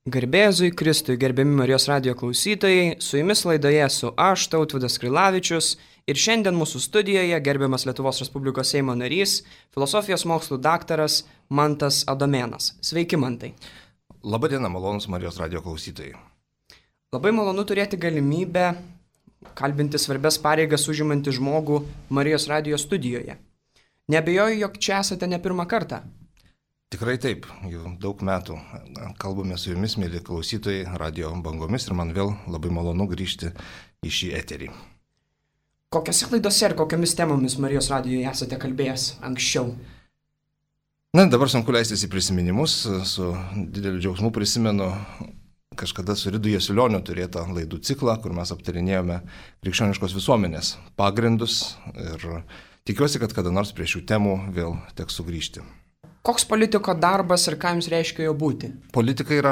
Garbėzui Kristui, gerbiami Marijos radijo klausytojai, su jumis laidoje esu aš, Tautvydas Krilavičius, ir šiandien mūsų studijoje gerbiamas Lietuvos Respublikos Seimo narys, filosofijos mokslų daktaras Mantas Adomėnas. Sveiki, Mantai. Labadiena, malonus Marijos radijo klausytojai. Labai malonu turėti galimybę kalbinti svarbias pareigas užimantį žmogų Marijos radijo studijoje. Neabejoju, jog čia esate ne pirmą kartą. Tikrai taip, jau daug metų kalbame su jumis, mėly klausytojai, radio bangomis ir man vėl labai malonu grįžti į šį eterį. Kokiose laidose ir kokiamis temomis Marijos radijoje esate kalbėjęs anksčiau? Dabar sunku leistis į prisiminimus, su dideliu džiaugsmu prisimenu kažkada su Ridu Jasiulioniu turėtą laidų ciklą, kur mes aptarinėjome krikščioniškos visuomenės pagrindus ir tikiuosi, kad kada nors prie šių temų vėl teks sugrįžti. Koks politiko darbas ir ką jums reiškia jo būti? Politika yra,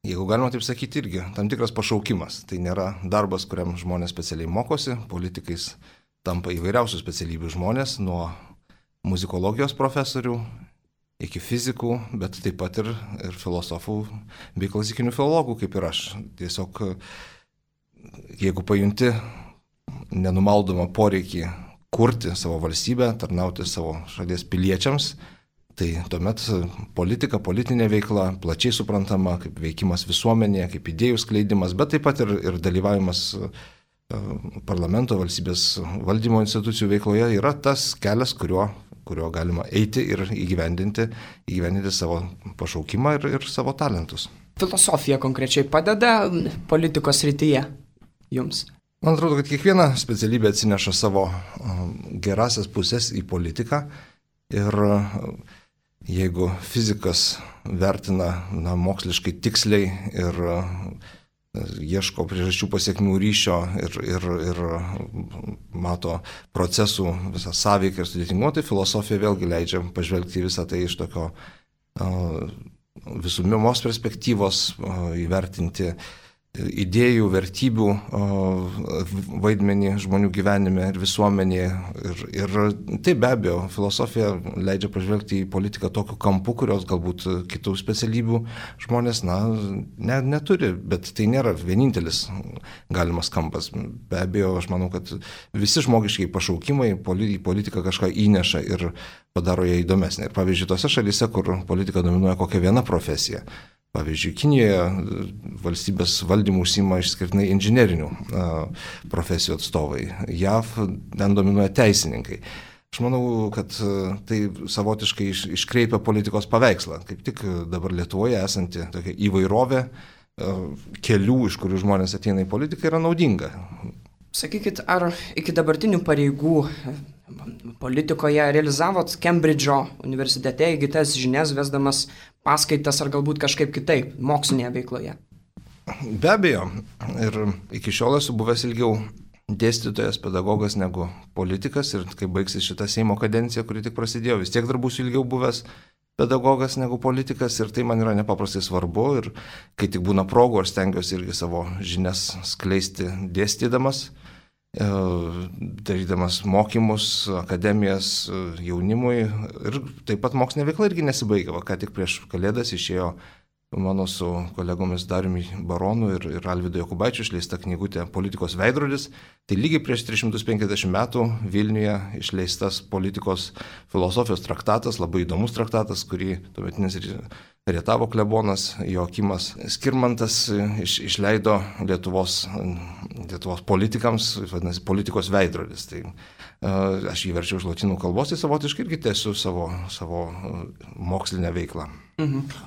jeigu galima taip sakyti, irgi tam tikras pašaukimas. Tai nėra darbas, kuriam žmonės specialiai mokosi. Politikais tampa įvairiausių specialybių žmonės, nuo muzikologijos profesorių iki fizikų, bet taip pat ir filosofų bei klasikinių filologų, kaip ir aš. Tiesiog, jeigu pajunti nenumaldomą poreikį kurti savo valstybę, tarnauti savo šalies piliečiams, tai tuomet politika, politinė veikla, plačiai suprantama kaip veikimas visuomenėje, kaip idėjų skleidimas, bet taip pat ir dalyvavimas parlamento valstybės valdymo institucijų veikloje yra tas kelias, kuriuo galima eiti ir įgyvendinti savo pašaukimą ir savo talentus. Filosofija konkrečiai padeda politikos srityje jums? Man atrodo, kad kiekviena specialybė atsineša savo gerasias pusės į politiką ir jeigu fizikas vertina moksliškai tiksliai ir ieško priežasčių pasiekmių ryšio ir mato procesų visą sąveiką ir sudėtingumą, tai filosofija vėlgi leidžia pažvelgti visą tai iš tokio visumos perspektyvos, įvertinti idėjų, vertybių vaidmenį žmonių gyvenime ir visuomenėje. Ir tai be abejo, filosofija leidžia pažvelgti į politiką tokiu kampu, kurios galbūt kitų specialybių žmonės neturi, bet tai nėra vienintelis galimas kampas. Be abejo, aš manau, kad visi žmogiškiai pašaukimai į politiką kažką įneša ir padaro ją įdomesnę. Ir pavyzdžiui, tose šalyse, kur politika dominuoja kokia viena profesija, pavyzdžiui, Kinijoje valstybės valdymų užsiima išskirtinai inžinerinių profesijų atstovai. JAV ten dominuoja teisininkai. Aš manau, kad tai savotiškai iškreipia politikos paveikslą. Kaip tik dabar Lietuvoje esanti tokia įvairovė kelių, iš kurių žmonės ateina į politiką, yra naudinga. Sakykit, ar iki dabartinių pareigų politikoje realizavot Kembridžo universitete įgytas žinias, vesdamas paskaitas ar galbūt kažkaip kitaip, mokslinėje veikloje? Be abejo. Ir iki šiol esu buvęs ilgiau dėstytojas, pedagogas negu politikas. Ir kai baigsis šita Seimo kadencija, kuri tik prasidėjo, vis tiek dar būsiu ilgiau buvęs pedagogas negu politikas. Ir tai man yra nepaprastai svarbu. Ir kai tik būna progų, aš stengiuosi irgi savo žinias skleisti dėstydamas, darydamas mokymus, akademijas jaunimui ir taip pat mokslinė veikla irgi nesibaigia. Ką tik prieš Kalėdas išėjo mano su kolegomis Dariumi Baronu ir Alvydu Jokubaičiu išleista knygutė Politikos veidrodis. Tai lygiai prieš 350 metų Vilniuje išleistas politikos filosofijos traktatas, labai įdomus traktatas, kurį tuometinis Rietavo klebonas Joakimas Skirmantas išleido Lietuvos politikams, vadinasi, Politikos veidrodis. Tai aš jį verčiau iš lotynų kalbos, tai savotiškai irgi tęsiu savo mokslinę veiklą.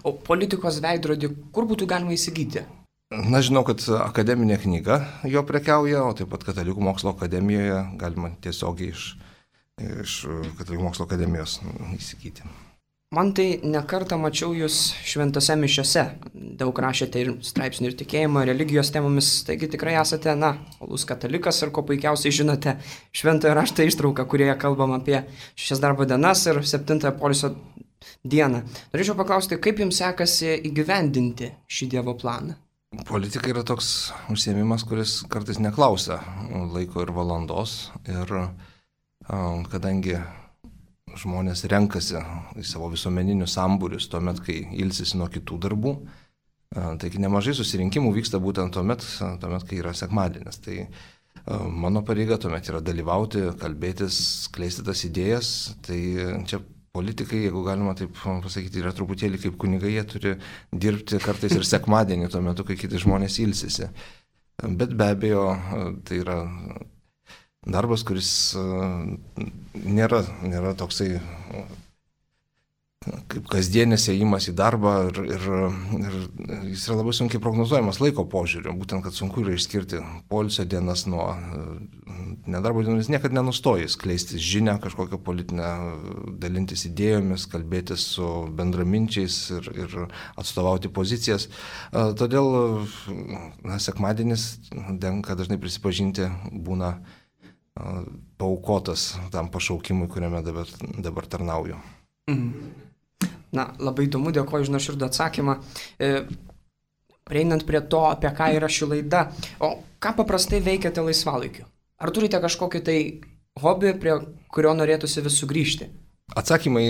O Politikos veidrodį kur būtų galima įsigyti? Žinau, kad akademinė knyga jo prekiauja, o taip pat Katalikų mokslo akademijoje galima tiesiogiai iš Katalikų mokslo akademijos įsigyti. Man tai nekartą mačiau jūs šventose mišiose. Daug rašėte ir straipsnių ir tikėjimo, religijos temomis, taigi tikrai esate, uolus katalikas ir ko puikiausiai žinote šventojo rašto ištrauką, kurioje kalbam apie 6 darbo dienas ir 7 poilsio dieną. Norėčiau paklausti, kaip jums sekasi įgyvendinti šį Dievo planą? Politika yra toks užsiėmimas, kuris kartais neklausia laiko ir valandos. Ir kadangi žmonės renkasi į savo visuomeninius sambūrius tuomet, kai ilsisi nuo kitų darbų, Taigi nemažai susirinkimų vyksta būtent tuomet, kai yra sekmadienis. Tai mano pareiga tuomet yra dalyvauti, kalbėtis, skleisti tas idėjas. Tai čia politikai, jeigu galima taip pasakyti, yra truputėlį kaip kunigai, jie turi dirbti kartais ir sekmadienį tuo metu, kai kiti žmonės ilsisi. Bet be abejo, tai yra darbas, kuris nėra toksai kaip kasdienis ėjimas į darbą ir jis yra labai sunkiai prognozuojamas laiko požiūriu, būtent, kad sunku yra išskirti poilsio dienas nuo nedarbo dienų, jis niekada nenustoja skleisti žinią, kažkokią politinę, dalintis idėjomis, kalbėtis su bendraminčiais ir atstovauti pozicijas. Todėl sekmadienis, tenka dažnai prisipažinti, būna paaukotas tam pašaukimui, kuriame dabar tarnauju. Na, labai įdomu, dėkoju už nuoširdų atsakymą. Prieinant prie to, apie ką yra ši laida, o ką paprastai veikiate laisvalaikiu? Ar turite kažkokį tai hobį, prie kurio norėtųsi vis sugrįžti? Atsakymai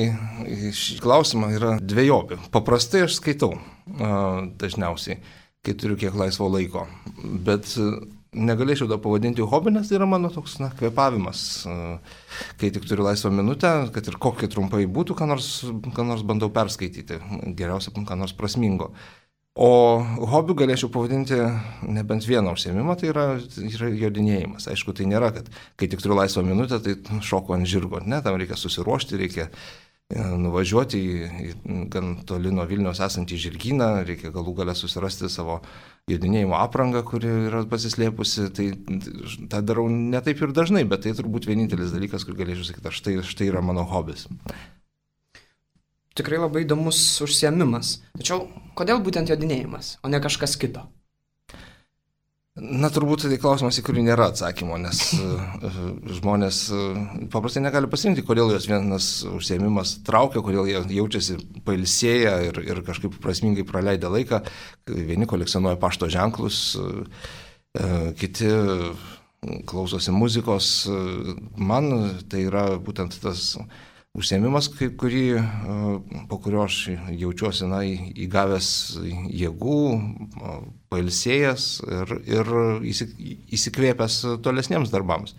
į šį klausimą yra dvejopi. Paprastai aš skaitau dažniausiai, kai turiu kiek laisvo laiko, bet negalėčiau dar pavadinti hobį, nes tai yra mano toks kvėpavimas. Kai tik turiu laisvą minutę, kad ir kokie trumpai būtų, ką nors bandau perskaityti, geriausia, ką nors prasmingo. O hobių galėčiau pavadinti nebent vieną užsiėmimą, tai yra jodinėjimas. Aišku, tai nėra, kad kai tik turiu laisvą minutę, tai šoku ant žirgo. Ne, tam reikia susiruošti, reikia nuvažiuoti į gan toli nuo Vilniaus esantį žirgyną, reikia galų gale susirasti savo jodinėjimo aprangą, kuri yra pasislėpusi. Tai tą darau ne taip ir dažnai, bet tai turbūt vienintelis dalykas, kur galėčiau sakyti, štai yra mano hobis. Tikrai labai įdomus užsiėmimas. Tačiau kodėl būtent jodinėjimas, o ne kažkas kito? Na, turbūt tai klausimas, į kurį nėra atsakymo, nes žmonės paprastai negali pasirinkti, kodėl jos vienas užsiėmimas traukia, kodėl jie jaučiasi pailsėję ir kažkaip prasmingai praleidę laiką. Vieni kolekcionuoja pašto ženklus, kiti klausosi muzikos. Man tai yra būtent tas užsiėmimas, po kurio aš jaučiuosi įgavęs jėgų, pailsėjęs ir įsikvėpęs tolesniems darbams.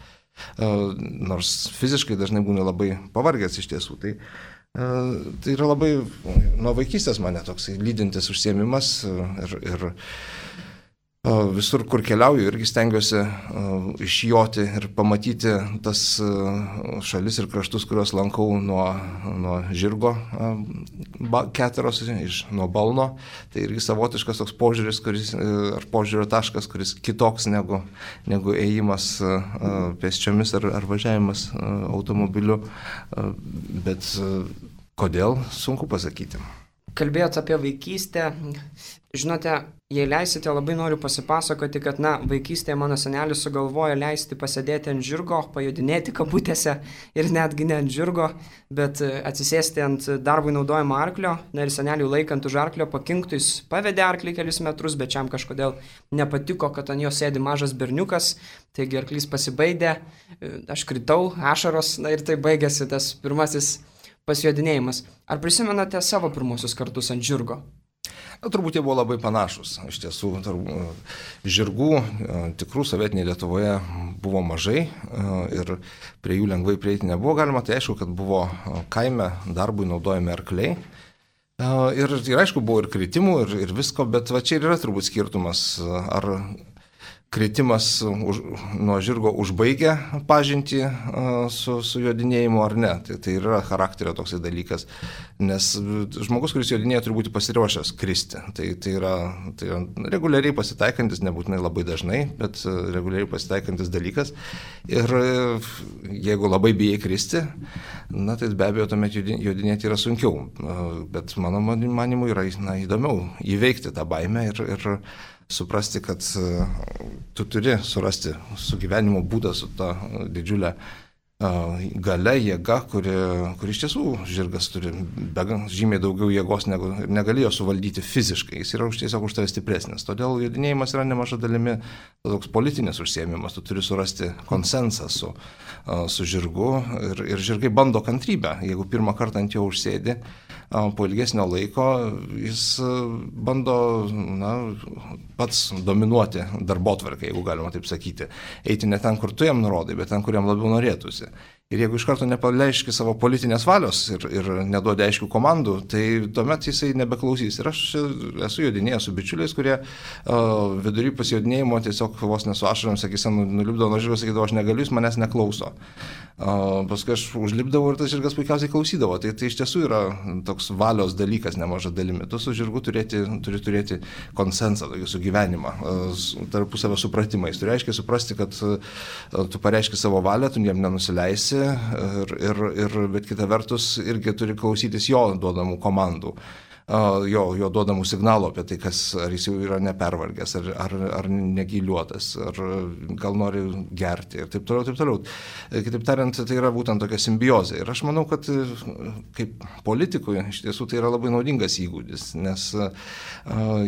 Nors fiziškai dažnai būna labai pavargęs iš tiesų. Tai yra labai nuo vaikystės mane toksai lydintis užsiėmimas ir visur, kur keliauju, irgi stengiuosi išjoti ir pamatyti tas šalis ir kraštus, kuriuos lankau nuo žirgo keteros, nuo balno. Tai irgi savotiškas toks požiūris, ar požiūrio taškas, kuris kitoks negu ėjimas pėsčiomis ar važiavimas automobiliu. Bet kodėl, sunku pasakyti. Kalbėjot apie vaikystę. Žinote, jei leisite, labai noriu pasipasakoti, kad, vaikystėje mano senelis sugalvojo leisti pasėdėti ant žirgo, pajodinėti kabutėse ir netgi ne ant žirgo, bet atsisėsti ant darbui naudojimo arklio. Ir seneliui laikant už arklio pakinktų, jis pavedė arklį kelis metrus, bet šiam kažkodėl nepatiko, kad ant jo sėdi mažas berniukas, taigi arklys pasibaidė, aš kritau, ašaros, ir tai baigėsi tas pirmasis pasijodinėjimas. Ar prisimenate savo pirmosius kartus ant žirgo? Turbūt jie buvo labai panašus. Iš tiesų, žirgų tikrų sovietinėje Lietuvoje buvo mažai ir prie jų lengvai prieiti nebuvo galima. Tai aišku, kad buvo kaime darbui naudojami arkliai. Ir aišku, buvo ir kritimų ir visko, bet va čia ir yra turbūt skirtumas, ar kritimas nuo žirgo užbaigia pažintį su jodinėjimu ar ne. Tai yra charakterio toksai dalykas, nes žmogus, kuris jodinėja, turi būti pasiruošęs kristi. Tai yra reguliariai pasitaikantis, nebūtinai labai dažnai, bet reguliariai pasitaikantis dalykas. Ir jeigu labai bijai kristi, tai be abejo tuomet jodinėti yra sunkiau. Bet mano manimu yra įdomiau įveikti tą baimę ir suprasti, kad tu turi surasti sugyvenimo būdą su ta didžiulė galia, jėga, kuri iš tiesų žirgas turi žymiai daugiau jėgos, negu negalėjo suvaldyti fiziškai. Jis yra tiesiog už tave stipresnis. Todėl jodinėjimas yra nemaža dalimi toks politinis užsiėmimas. Tu turi surasti konsensą su žirgu ir žirgai bando kantrybę. Jeigu pirmą kartą ant jo užsėdi, po ilgesnio laiko jis bando pats dominuoti darbotvarkę, jeigu galima taip sakyti. Eiti ne ten, kur tu jam nurodai, bet ten, kur jam labiau norėtųsi. Ir jeigu iš karto nepaleiški savo politinės valios ir neduodi aiškių komandų, tai tuomet jisai nebeklausys. Ir aš esu jodinėjęs su bičiuliais, kurie vidury pasijodinėjimo tiesiog vos nesu ašarom, sakysim, nulipdavo nuo žirgo, sakydavo, aš negaliu, jis manęs neklauso. Paskui aš užlipdavau ir tas žirgas puikiausiai klausydavo. Tai iš tiesų yra toks valios dalykas nemaža dalimi. Tu su žirgu turi turėti konsensą, tokį sugyvenimą, tarpusavio supratimą. Jis turi aiškiai suprasti, kad tu pareiški savo valią, tu jam nenusileisi, bet kita vertus irgi turi klausytis jo duodamų komandų. Jo duodamų signalų apie tai, ar jis jau yra nepervargęs, ar negyliuotas, ar gal nori gerti ir taip toliau, taip toliau. Kitaip tariant, tai yra būtent tokia simbiozė. Ir aš manau, kad kaip politikui iš tiesų tai yra labai naudingas įgūdis, nes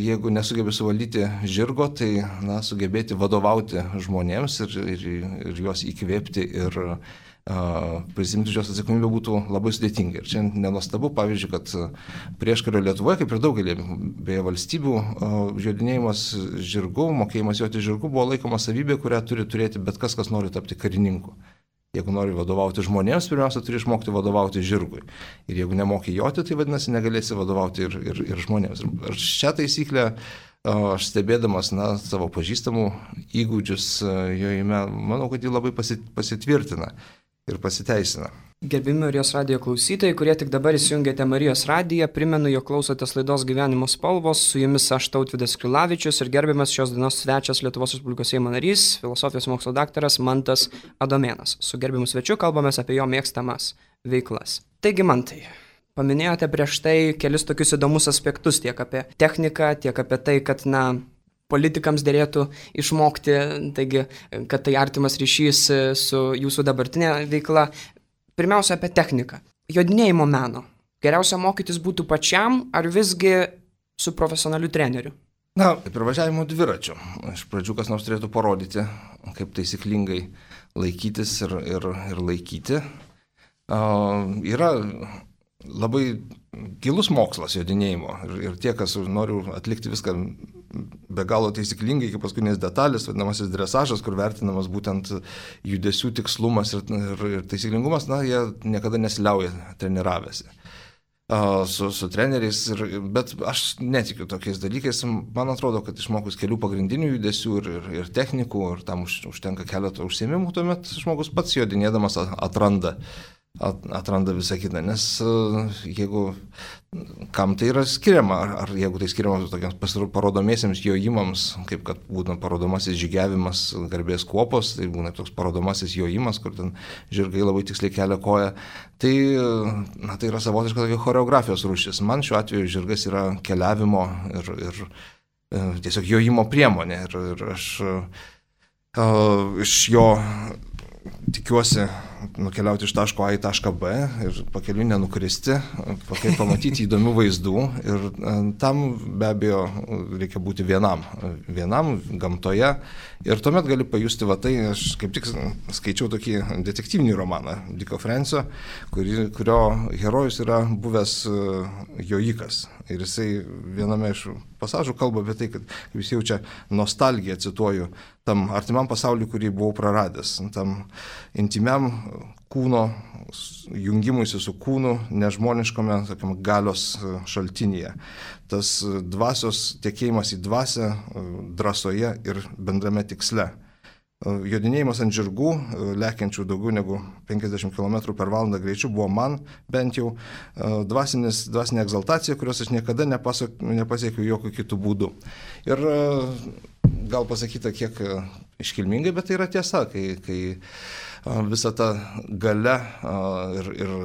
jeigu nesugebi suvaldyti žirgo, tai sugebėti vadovauti žmonėms ir juos įkvėpti ir prisimti šios atsakomybę būtų labai sudėtinga. Ir čia nenuostabu, pavyzdžiui, kad prieškario Lietuvoje, kaip ir daugelį beje valstybių, jodinėjimas žirgu, mokėjimas joti žirgu buvo laikoma savybė, kurią turi turėti bet kas nori tapti karininku. Jeigu nori vadovauti žmonėms, pirmiausia, turi išmokti vadovauti žirgui. Ir jeigu nemoki joti, tai vadinasi, negalėsi vadovauti ir žmonėms. Ir šią taisyklę aš stebėdamas savo pažįstamų įgūdžius jojime, manau, kad ji labai pasitvirtina ir pasiteisina. Gerbimi Marijos radijo klausytojai, kurie tik dabar įsijungėte Marijos radiją, primenu, jog klausotės laidos Gyvenimo spalvos, su jumis aš Tautvydas Krilavičius ir gerbiamas šios dienos svečias Lietuvos Respublikos Seimo narys, filosofijos mokslo daktaras Mantas Adomėnas. Su gerbiamu svečiu kalbamės apie jo mėgstamas veiklas. Taigi, Mantai, paminėjote prieš tai kelis tokius įdomus aspektus, tiek apie techniką, tiek apie tai, kad, politikams dėlėtų išmokti, taigi, kad tai artimas ryšys su jūsų dabartinė veikla. Pirmiausia, apie techniką. Jodinėjimo meno. Geriausia mokytis būtų pačiam, ar visgi su profesionaliu treneriu? Kaip ir važiavimo dviračiu. Iš pradžių kas nors turėtų parodyti, kaip taisyklingai laikytis ir laikyti. Yra labai gilus mokslas jodinėjimo ir tie, kas nori atlikti viską be galo taisyklingai iki paskutinės detalės, vadinamasis dresažas, kur vertinamas būtent judesių tikslumas ir taisyklingumas, jie niekada nesiliauja treniravęsi su treneriais, bet aš netikiu tokiais dalykais. Man atrodo, kad išmokus kelių pagrindinių judesių ir technikų, ir tam užtenka keletą užsiėmimų, tuomet žmogus pats jodinėdamas atranda visą kitą, nes jeigu kam tai yra skiriama, ar jeigu tai skiriama tokiams parodomiesiems jojimams, kaip kad būna parodomasis žygiavimas garbės kuopos, tai būna toks parodomasis jojimas, kur ten žirgai labai tiksliai kelia koją, tai yra savotiška tokia choreografijos rūšis. Man šiuo atveju žirgas yra keliavimo ir tiesiog jojimo priemonė ir aš iš jo tikiuosi nukeliauti iš taško A į tašką B ir pakeliui nenukristi, pamatyti įdomių vaizdų ir tam be abejo reikia būti vienam gamtoje ir tuomet gali pajusti tai, aš kaip tik skaičiau tokį detektyvinį romaną Dicko Francio, kurio herojus yra buvęs jojikas ir jisai viename iš pasažų kalba apie tai, kad jis jaučia nostalgiją, cituoju, tam artimam pasauliu, kurį buvau praradęs, tam intimiam kūno jungimuisi su kūnu nežmoniškame galios šaltinyje. Tas dvasios tekėjimas į dvasią drąsoje ir bendrame tiksle. Jodinėjimas ant žirgų, lekiančių daugiau negu 50 km per valandą greičiu, buvo man bent jau dvasinė egzaltacija, kurios aš niekada nepasiekiau jokių kitų būdų. Ir gal pasakyta kiek iškilmingai, bet tai yra tiesa, kai visa ta galia ir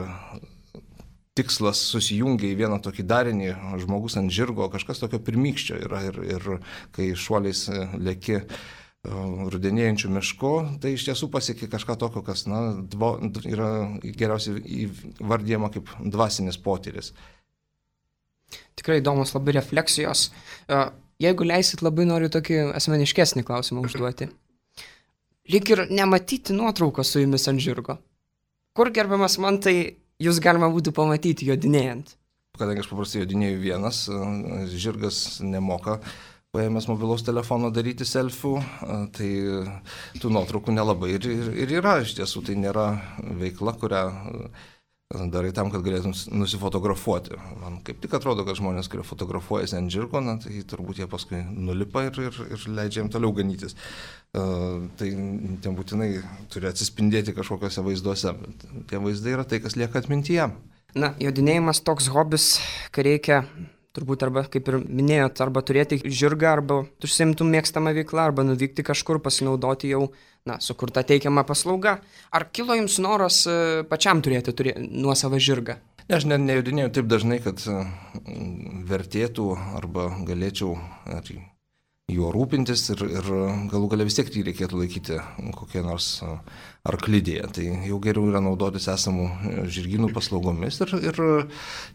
tikslas susijungia į vieną tokį darinį, žmogus ant žirgo, kažkas tokio pirmykščio yra ir kai šuoliais leki rudenėjančių miškų, tai iš tiesų pasiekia kažką tokio, kas yra geriausiai įvardyjama kaip dvasinis potyris. Tikrai įdomus labai refleksijos. Jeigu leisit, labai noriu tokį asmeniškesnį klausimą užduoti. Lyg ir nematyti nuotraukos su jumis ant žirgo. Kur, gerbiamas Mantai, jūs galima būtų pamatyti jodinėjant? kadangi aš paprastai jodinėjau vienas, žirgas nemoka paėmęs mobilaus telefono daryti selfių, tai tų nuotraukų nelabai ir yra. Iš tiesų tai nėra veikla, kurią darai tam, kad galėtum nusifotografuoti. Man kaip tik atrodo, kad žmonės, kurie fotografuojasi ant žirgo, tai turbūt jie paskui nulipa ir leidžia jiem toliau ganytis. Tai ten būtinai turi atsispindėti kažkokiuose vaizduose, bet tie vaizdai yra tai, kas lieka atmintyje. Na, jodinėjimas toks hobis, kai reikia turbūt arba, kaip ir minėjot, arba turėti žirgą, arba užsiimtum mėgstamą veiklą, arba nuvykti kažkur, pasinaudoti jau, sukurtą teikiamą paslaugą. Ar kilo jums noras pačiam turėti nuosavą žirgą? Aš nejodinėjau taip dažnai, kad vertėtų arba galėčiau juo rūpintis ir galų galia vis tiek jį reikėtų laikyti kokie nors arklidėje. Tai jau geriau yra naudotis esamų žirgynų paslaugomis ir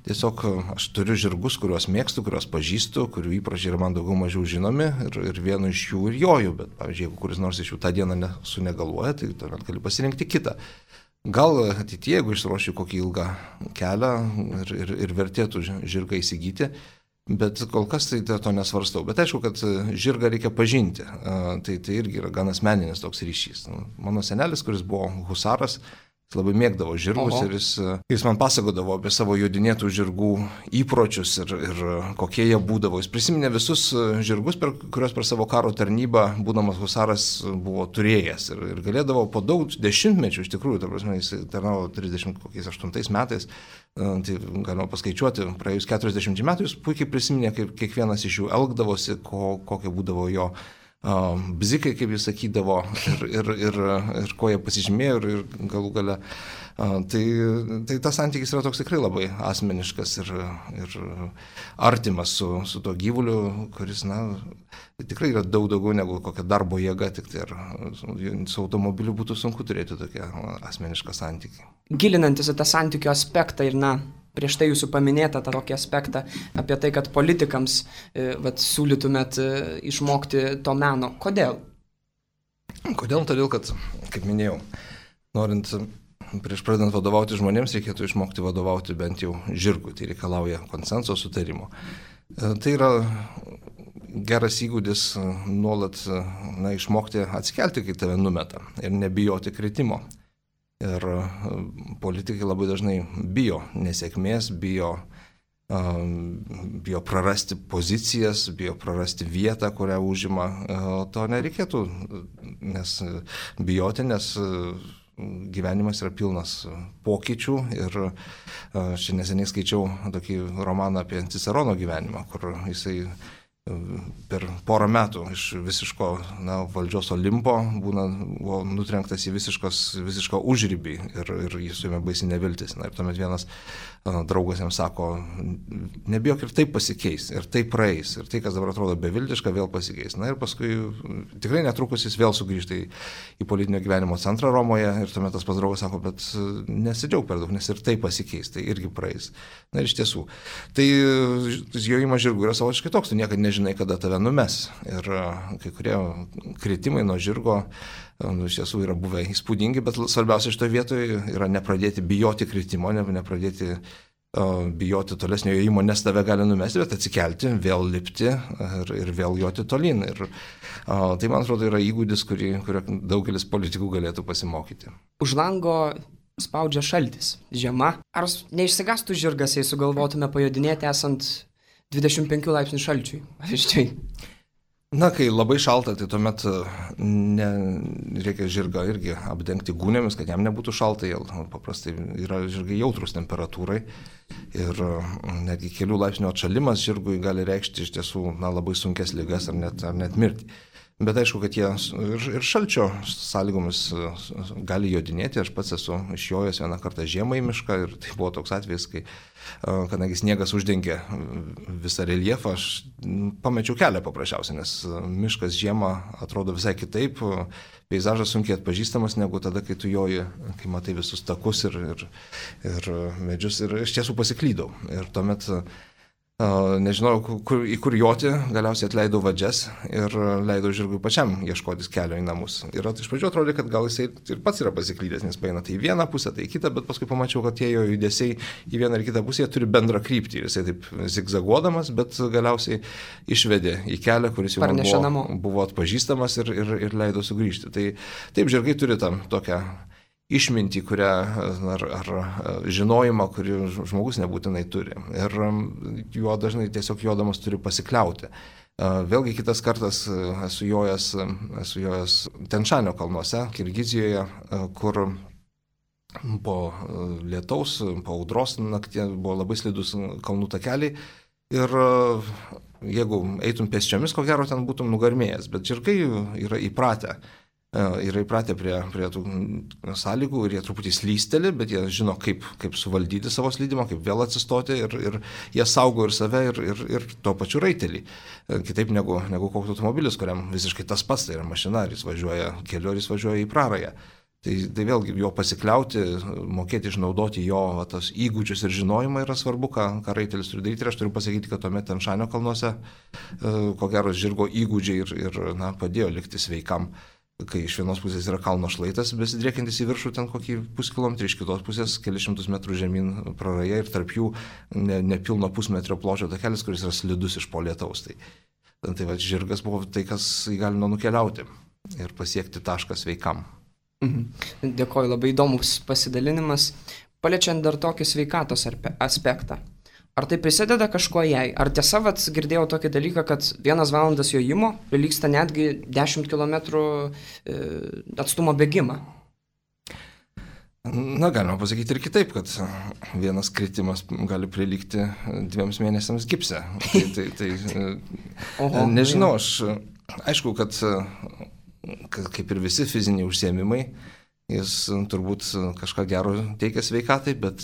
tiesiog aš turiu žirgus, kuriuos mėgstu, kuriuos pažįstu, kurių įpročiai yra man daugiau mažiau žinomi ir vienu iš jų ir joju, bet pavyzdžiui, jeigu kuris nors iš jų tą dieną sunegaluoja, tai tuomet gali pasirinkti kitą. Gal ateityje, jeigu išruošiu kokį ilgą kelią ir vertėtų žirgą įsigyti, bet kol kas tai to nesvarstau. Bet aišku, kad žirgą reikia pažinti. Tai irgi yra gan asmeninis toks ryšys. Mano senelis, kuris buvo husaras, jis labai mėgdavo žirgus. Oho. Ir jis man pasakodavo apie savo jodinėtų žirgų įpročius ir kokie jie būdavo. Jis prisiminė visus žirgus, kuriuos per savo karo tarnybą, būdamas husaras, buvo turėjęs. Ir galėdavo po daug dešimtmečių, iš tikrųjų, ta prasme, jis tarnavo 38 metais, tai galima paskaičiuoti, praėjus 40 metų, jis puikiai prisiminė, kaip kiekvienas iš jų elgdavosi, kokia būdavo jo bzikai, kaip jis sakydavo, ir ko jie pasižymėjo, ir galų gale. Tai tas santykis yra toks tikrai labai asmeniškas ir artimas su to gyvuliu, kuris, tikrai yra daug daugiau negu kokia darbo jėga, tik tai su automobiliu būtų sunku turėti tokią asmenišką santykį. Gilinantis į tą santykių aspektą ir prieš tai jūsų paminėtą tą tokį aspektą apie tai, kad politikams siūlytumėt išmokti to meno. Kodėl? Kodėl? Todėl, kad, kaip minėjau, norint prieš pradedant vadovauti žmonėms, reikėtų išmokti vadovauti bent jau žirgui. Tai reikalauja konsenso sutarimo. Tai yra geras įgūdis nuolat išmokti atsikelti, kai tave numeta ir nebijoti kritimo. Ir politikai labai dažnai bijo nesėkmės, bijo prarasti pozicijas, bijo prarasti vietą, kurią užima. To nereikėtų bijoti, nes gyvenimas yra pilnas pokyčių ir čia neseniai skaičiau tokį romaną apie Cicerono gyvenimą, kur jisai per porą metų iš visiško valdžios Olimpo buvo nutrenktas į visišką užribį ir jis suėmė baisi neviltis. Ir tuomet vienas draugas jam sako, nebijok, ir taip pasikeis, ir taip praeis, ir tai, kas dabar atrodo beviltiška, vėl pasikeis. Ir paskui tikrai netrukus jis vėl sugrįžta į politinio gyvenimo centrą Romoje ir tuomet tas pats draugas sako, bet nesidžiauk per daug, nes ir taip pasikeis, tai irgi praeis. Ir iš tiesų, tai jojimas žirgų yra savotiškai toks, tu niekada nežinai, kada tave numes. Ir kai kurie kritimai nuo žirgo iš tiesų yra buvę įspūdingi, bet svarbiausia šitoje vietoje yra nepradėti bijoti kritimo, nepradėti bijoti tolesnio jojimo, nes tave gali numesti, bet atsikelti, vėl lipti ir vėl joti tolyn. Ir tai, man atrodo, yra įgūdis, kurio daugelis politikų galėtų pasimokyti. Už lango spaudžia šaltis, žiema. Ar neišsigastų žirgas, jei sugalvotume pajodinėti esant 25 laipsnių šalčiui? Pavyzdžiui. Kai labai šalta, tai tuomet reikia žirgą irgi apdengti gūnėmis, kad jam nebūtų šalta. Paprastai yra žirgai jautrus temperatūrai ir netgi kelių laipsnių atšalimas žirgui gali reikšti iš tiesų labai sunkias ligas ar net mirtį. Bet aišku, kad jie ir šalčio sąlygomis gali jodinėti. Aš pats esu išjojęs vieną kartą žiemą į mišką ir tai buvo toks atvejis, kadangi sniegas uždengė visą reljefą, aš pamečiau kelią paprasčiausiai, nes miškas žiemą atrodo visai kitaip, peizažas sunkiai atpažįstamas negu tada, kai tu joji, kai matai visus takus ir medžius, ir iš tiesų pasiklydau. Ir tuomet nežinojau, į kur joti, galiausiai atleidau vadžias ir leidau žirgui pačiam ieškotis kelio į namus. Ir iš pradžių atrodė, kad gal jisai ir pats yra pasiklydęs, nes paina tai į vieną pusę, tai į kitą, bet paskui pamačiau, kad tie jo judesiai į vieną ar kitą pusę turi bendrą kryptį. Jisai taip zigzaguodamas, bet galiausiai išvedė į kelią, kuris jau buvo atpažįstamas ir leido sugrįžti. Tai taip, žirgai turi tam tokią išmintį, kurią, ar žinojimą, kurį žmogus nebūtinai turi. Ir juo dažnai tiesiog jodamas turi pasikliauti. Vėlgi kitas kartas esu jojęs Tenšanio kalnuose, Kirgizijoje, kur po lietaus, po audros naktie buvo labai slidus kalnų takeliai. Ir jeigu eitum pėsčiomis, ko gero ten būtum nugarmėjęs, bet žirgai yra įpratę prie tų sąlygų ir jie truputį slysteli, bet jie žino, kaip suvaldyti savo slydimą, kaip vėl atsistoti ir jie saugo ir save ir tuo pačiu raitelį. Kitaip negu koks automobilis, kuriam visiškai tas pats, tai yra mašina, ar jis važiuoja keliu, ar jis važiuoja į prarają. Tai vėlgi jo pasikliauti, mokėti išnaudoti jo tas įgūdžius ir žinojimą yra svarbu, ką raitelis turi daryti. Ir aš turiu pasakyti, kad tuomet Tenšanio kalnuose, ko gero, žirgo įgūdžiai ir padėjo likti sveikam. Kai iš vienos pusės yra kalno šlaitas, besidriekiantis į viršų ten kokį puskilometrį, iš kitos pusės kelišimtus metrų žemyn praraja ir tarp jų nepilno pusmetrio pločio takelis, kuris yra slidus iš po lietaus. Tai va, žirgas buvo tai, kas įgalino nukeliauti ir pasiekti tašką sveikam. Dėkoju, labai įdomus pasidalinimas. Paliečiant dar tokį sveikatos aspektą. Ar tai prisideda kažkuo jai? Ar tiesa, girdėjau tokį dalyką, kad 1 valandas jojimo prilygsta netgi 10 km atstumo bėgimą? Na, galima pasakyti ir kitaip, kad vienas kritimas gali prilygti 2 mėnesiams gipse. Nežinau, aišku, kad kaip ir visi fiziniai užsiėmimai, jis turbūt kažką gero teikia sveikatai, bet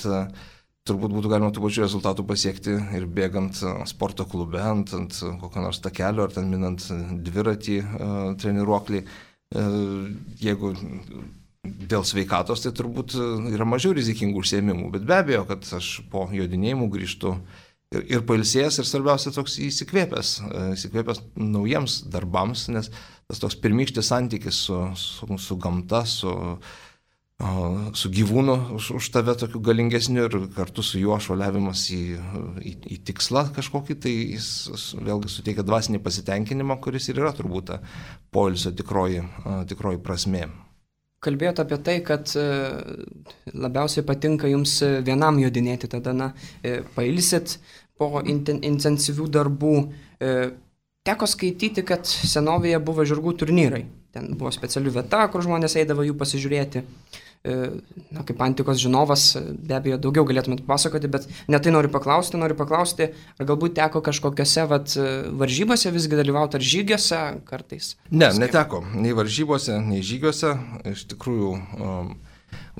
turbūt būtų galima tų pačių rezultatų pasiekti ir bėgant sporto klube, ant kokio nors takelio, ar ten minant dviratį treniruoklį. Jeigu dėl sveikatos, tai turbūt yra mažiau rizikingų užsiėmimų, bet be abejo, kad aš po jodinėjimų grįžtu ir pailsėjęs, ir svarbiausia toks įsikvėpęs naujiems darbams, nes tas toks pirmykštis santykis su gamta, su gyvūnu už tave tokiu galingesniu ir kartu su juo šuoliavimas į tikslą kažkokį, tai jis vėlgi suteikia dvasinį pasitenkinimą, kuris ir yra turbūt poilsio tikroji prasmė. Kalbėjote apie tai, kad labiausiai patinka jums vienam jodinėti, tada pailsit po intensyvių darbų. Teko skaityti, kad senovėje buvo žirgų turnyrai. Ten buvo speciali vieta, kur žmonės eidavo jų pasižiūrėti. Kaip antikos žinovas, be abejo, daugiau galėtumėt pasakoti, bet ne tai noriu paklausti, ar galbūt teko kažkokiose varžybose visgi dalyvauti, ar žygiuose kartais? Ne, neteko, nei varžybose, nei žygiuose. Iš tikrųjų,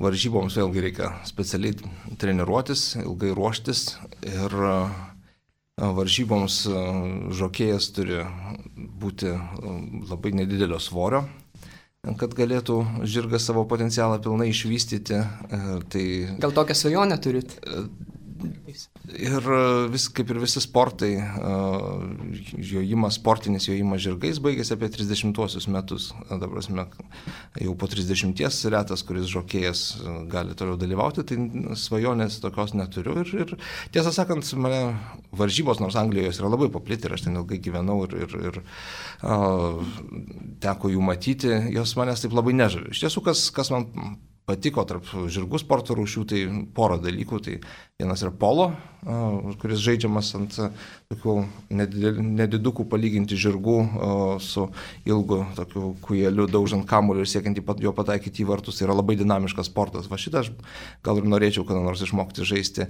varžyboms vėlgi reikia specialiai treniruotis, ilgai ruoštis ir varžyboms žokėjas turi būti labai nedidelio svorio, kad galėtų žirgas savo potencialą pilnai išvystyti. Gal tokią svajonę turit? Ir kaip ir visi sportai, sportinis jojimas žirgais baigėsi apie 30-uosius metus. Dabar jau po 30-ties retas, kuris žokėjas gali toliau dalyvauti, tai svajonės tokios neturiu. Ir tiesą sakant, mane varžybos, nors Anglijoje yra labai paplitę, ir aš ten ilgai gyvenau ir teko jų matyti, jos manęs taip labai nežavi. Iš tiesų, kas man patiko tarp žirgų sporto rūšių, tai porą dalykų. Tai vienas yra polo, kuris žaidžiamas ant tokių nedidukų palyginti žirgų su ilgu tokiu kujeliu, daužant kamuolį ir siekiant jo pataikyti į vartus. Tai yra labai dinamiškas sportas. Va šitą aš gal ir norėčiau kada nors išmokti žaisti.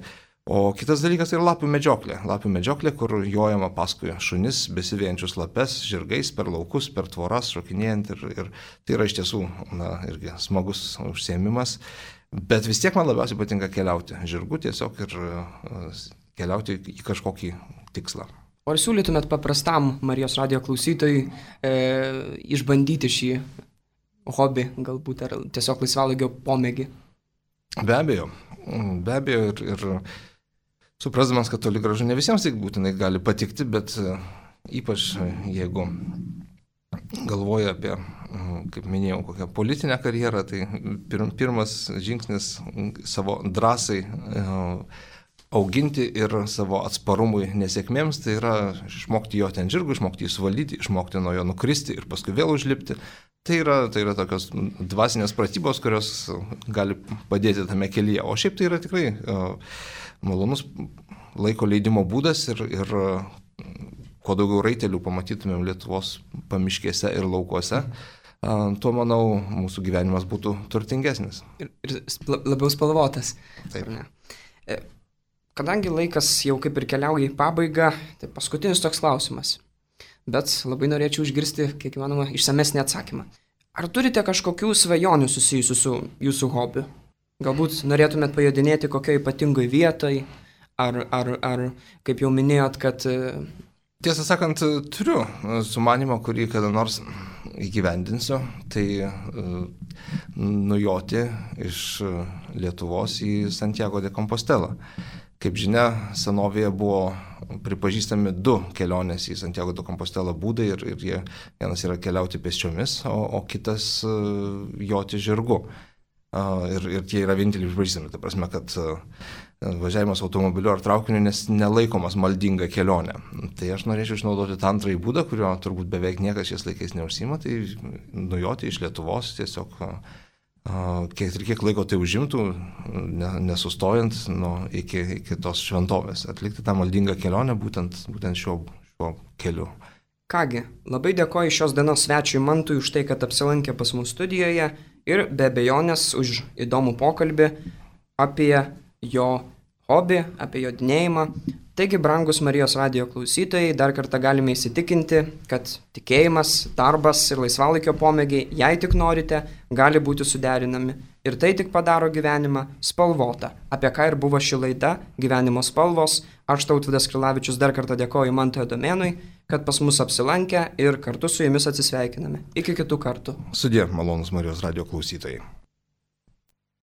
O kitas dalykas yra lapių medžioklė. Lapių medžioklė, kur jojama paskui šunis, besivėjančius lapes, žirgais, per laukus, per tvoras, šokinėjant. Ir tai yra iš tiesų irgi smagus užsiėmimas. Bet vis tiek man labiausiai patinka keliauti žirgu tiesiog ir keliauti į kažkokį tikslą. O ar siūlytumėt paprastam Marijos radijo klausytojui išbandyti šį hobį, galbūt, ar tiesiog laisvalaikio pomėgį? Be abejo ir Suprasdamas, kad toli gražu ne visiems tai būtinai gali patikti, bet ypač jeigu galvoja apie, kaip minėjau, kokią politinę karjerą, tai pirmas žingsnis savo drąsai auginti ir savo atsparumui nesėkmėms, tai yra išmokti jo ten žirgų, išmokti jį suvaldyti, išmokti nuo jo nukristi ir paskui vėl užlipti. Tai yra tokios dvasinės pratybos, kurios gali padėti tame kelyje. O šiaip tai yra tikrai malonus laiko leidimo būdas ir kuo daugiau raitelių pamatytumėm Lietuvos pamiškėse ir laukuose, tuo, manau, mūsų gyvenimas būtų turtingesnis. Ir labiau spalvotas. Taip. Kadangi laikas jau kaip ir keliauja į pabaigą, tai paskutinis toks klausimas. Bet labai norėčiau išgirsti, kiek įmanoma, išsamesnį atsakymą. Ar turite kažkokių svajonių susijusių su jūsų hobiu? Galbūt norėtumėt pajodinėti kokioje ypatingoje vietoje, ar kaip jau minėjot, kad... Tiesą sakant, turiu sumanimą, kurį kada nors įgyvendinsiu, tai nujoti iš Lietuvos į Santiago de Compostela. Kaip žinia, senovėje buvo pripažįstami 2 kelionės į Santiago de Compostela būdai ir vienas yra keliauti pėsčiomis, o kitas joti žirgu. Ir tie yra vieninteliai pripažįstami, ta prasme, kad važiavimas automobiliu ar traukiniu nelaikomas maldinga kelionė. Tai aš norėčiau išnaudoti tą antrąjį būdą, kurio turbūt beveik niekas šiais laikais neužsiima, tai nujoti iš Lietuvos tiesiog kiek laiko tai užimtų, nesustojant iki tos šventovės, atlikti tą maldingą kelionę būtent šiuo keliu. Kągi, labai dėkoju šios dienos svečiui Mantui už tai, kad apsilankė pas mus studijoje ir be abejonės už įdomų pokalbį apie jo hobį, apie jodinėjimą. Taigi, brangus Marijos radijo klausytojai, dar kartą galime įsitikinti, kad tikėjimas, darbas ir laisvalaikio pomėgiai, jei tik norite, gali būti suderinami. Ir tai tik padaro gyvenimą spalvotą. Apie ką ir buvo ši laida Gyvenimo spalvos. Aš Tautvydas Krilavičius dar kartą dėkoju Mantui Adomėnui, kad pas mus apsilankė ir kartu su jumis atsisveikiname. Iki kitų kartų. Sudie, malonus Marijos radijo klausytojai.